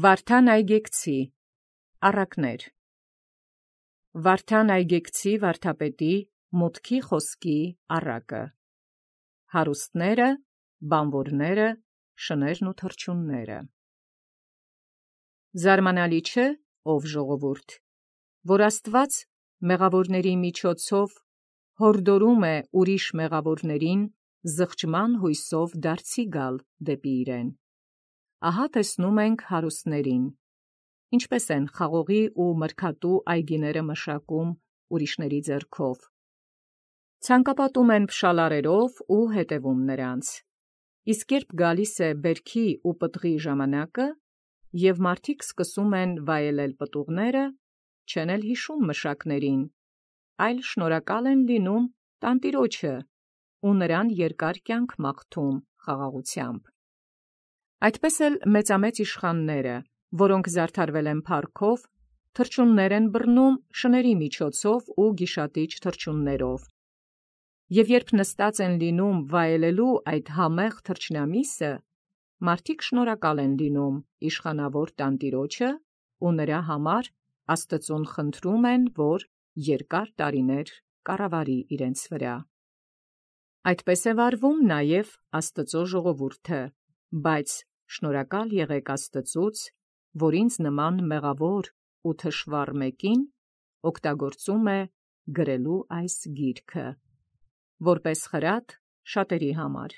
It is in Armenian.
Վարդան Այգեկցի առակներ Վարդան Այգեկցի վարդապետի մուտքի խոսքի առակը հարուստները, բանվորները, շներն ու թռչունները Զարմանալի չէ, ով ժողովուրդ, որ Աստված մեղավորների միջոցով հորդորում է ուրիշ մեղավորներին զղջման հույսով դարձի գալ դեպի իրեն։ Ահա տեսնում ենք հարուստներին, ինչպես են խաղողի ու մրգատու այգիները մշակում ուրիշների ձեռքով։ Ցանկապատում են փշալարերով ու հետևում նրանց։ Իսկ երբ գալիս է բերքի ու պտղի ժամանակը, և մարդիկ սկսում են վայելել պտուղները, չեն էլ հիշում մշակներին, այլ շնորհակալ են լինում տանտիրոջը ու նրան երկար կյանք մաղթում խաղաղությամբ։ Այդպես էլ մեծամեծ իշխանները, որոնք զարդարվել են փառքով, թռչուններ են բռնում շների միջոցով ու գիշատիչ թռչուններով։ Եվ երբ նստած են լինում վայելելու այդ համեղ թռչնամիսը, մարդիկ շնորհակալ են լինում իշխանավոր տանտիրոջը ու նրա համար Աստծուն խնդրում են, որ երկար տարիներ կառավարի իրենց վրա։ Այդպես է վարվում նաև Աստծո ժողովուրդը, բայց շնորհակալ եղեք Աստծուց, որ ինձ նման մեղավոր ու թշվառ մեկին օգտագործում է գրելու այս գիրքը, որպես խրատ շատերի համար։